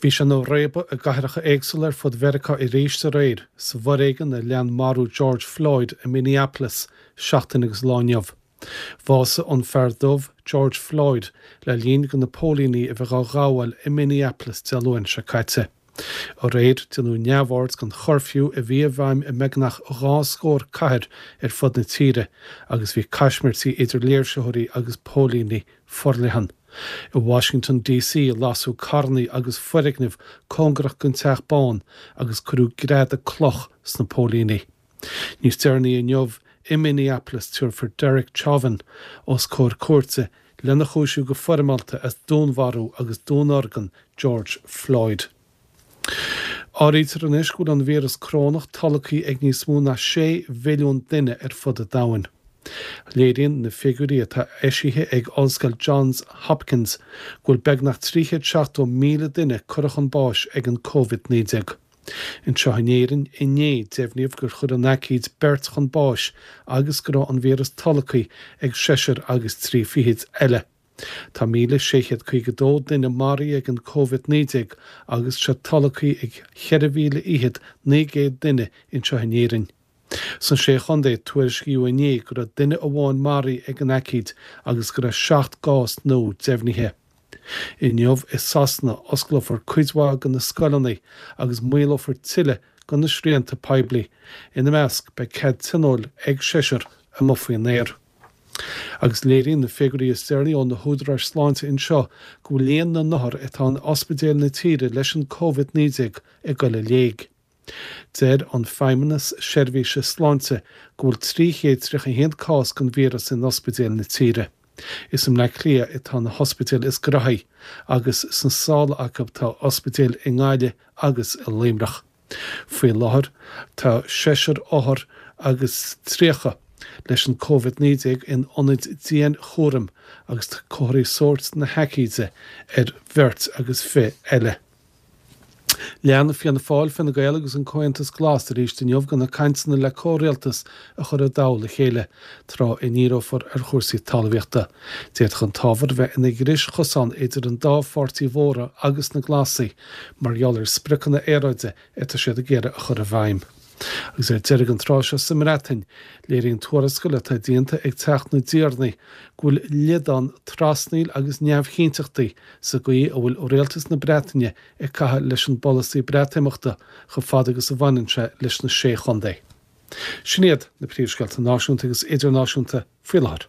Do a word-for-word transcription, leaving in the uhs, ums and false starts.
Bhí sé ina réabadh i gcathracha éagsúla ar fud Mheiriceá arís aréir sa bhforéigean a lean marú George Floyd i Minneapolis seachtain agus lá inniu. Bhásaigh an fear dubh George Floyd le linn do na póilíní a bheith á ghabháil i Minneapolis Dé Luain seo caite. Aréir déanadh neamhaird den churfew a bhí i bhfeidhm i mbeagnach dhá scór cathair ar fud na tíre agus bhí caismirtí idir léirsitheoirí agus póilíní forleathan. I Washington DC lasadh carranna agus foirgnimh cóngarach don Teach Bán agus cuireadh greadadh cloch sna póilíní. Níos deireanaí inniu i Minneapolis tabharfar Derek Chauvin os comhair cúirte lena chúisiú go foirmeálta as dúnmharú agus dúnorgain George Floyd. Áirítear anois go bhfuil an víreas corónach tolgtha ag níos mó ná sé mhilliún duine ar fud an domhain. Léiríonn na figiúirí atá eisithe ag Ollscoil Johns Hopkins go bhfuil beagnach trí chéad seachtó míle duine curtha chun báis ag an Covid naoi déag. Anseo in Éirinn inné deimhníodh gur chuir an aicíd beirt chun báis agus go raibh an víreas tolgtha ag seisear agus trí fichid eile. Tá míle sé chéad caoga dó duine maraithe ag an Covid naoi déag agus sé tolgtha ag ceithre mhíle fhichead naoi gcéad duine anseo in Éirinn. Sna Sé Chontae, tuairiscíodh inné go raibh duine amháin maraithe ag an aicíd agus go raibh seacht gcás nua deimhnithe. Inniu i Sasana, osclófar cuid mhaith de na scoileanna agus maolófar tuilleadh de na srianta poiblí. Ina measc, beidh cead tionóil ag seisear amuigh faoin aer. Agus léiríonn na figiúirí is deireanaí ó na húdaráis sláinte anseo go bhfuil líon na n-othar atá in ospidéil na tíre leis an Covid naoi déag ag dul i léig. Deir an Feidhmeannas Seirbhíse Sláinte go bhfuil trí chéad tríocha a haon cás den víreas in ospidéil na tíre. Is i mBleá Cliath atá na hospidéil is gnoithí agus sna sála acu tá ospidéil i nGaillimh agus i Luimneach. Faoi láthair tá seisear othar agus tríocha leis an Covid naoi déag in ionaid dianchúraim agus tá comharthaí sóirt na haicíde ar bheirt agus fiche eile. Lean Fianna Fáil, Fine Gael agus an Comhaontas Glas arís inniu de na cainteanna le comhrialtas a chur i dtoll a chéile, tráth a ndíreofar ar chúrsaí talmhaíochta. D'fhéadfadh an t-ábhar a bheith ina dhris chosán idir an dá pháirtí mhóra agus na Glasaigh mar gheall ar spriocanna aeráide atá siad ag iarraidh a chur i bhfeidhm. Agus ar deireadh an tráth seo sa mBreatain, léiríonn tuarascáil atá déanta ag Teach na dTiarnaí go bhfuil liodán trasnaíl agus neamhchinnteachtaí sa gcaoi a bhfuil rialtas na Breataine ag caitheamh leis an bpolasaí Breatimeachta chomh fada agus a bhaineann sé leis na Sé Chontae. Sin iad na príomhscéalta náisiúnta agus idirnáisiúnta faoi láthair.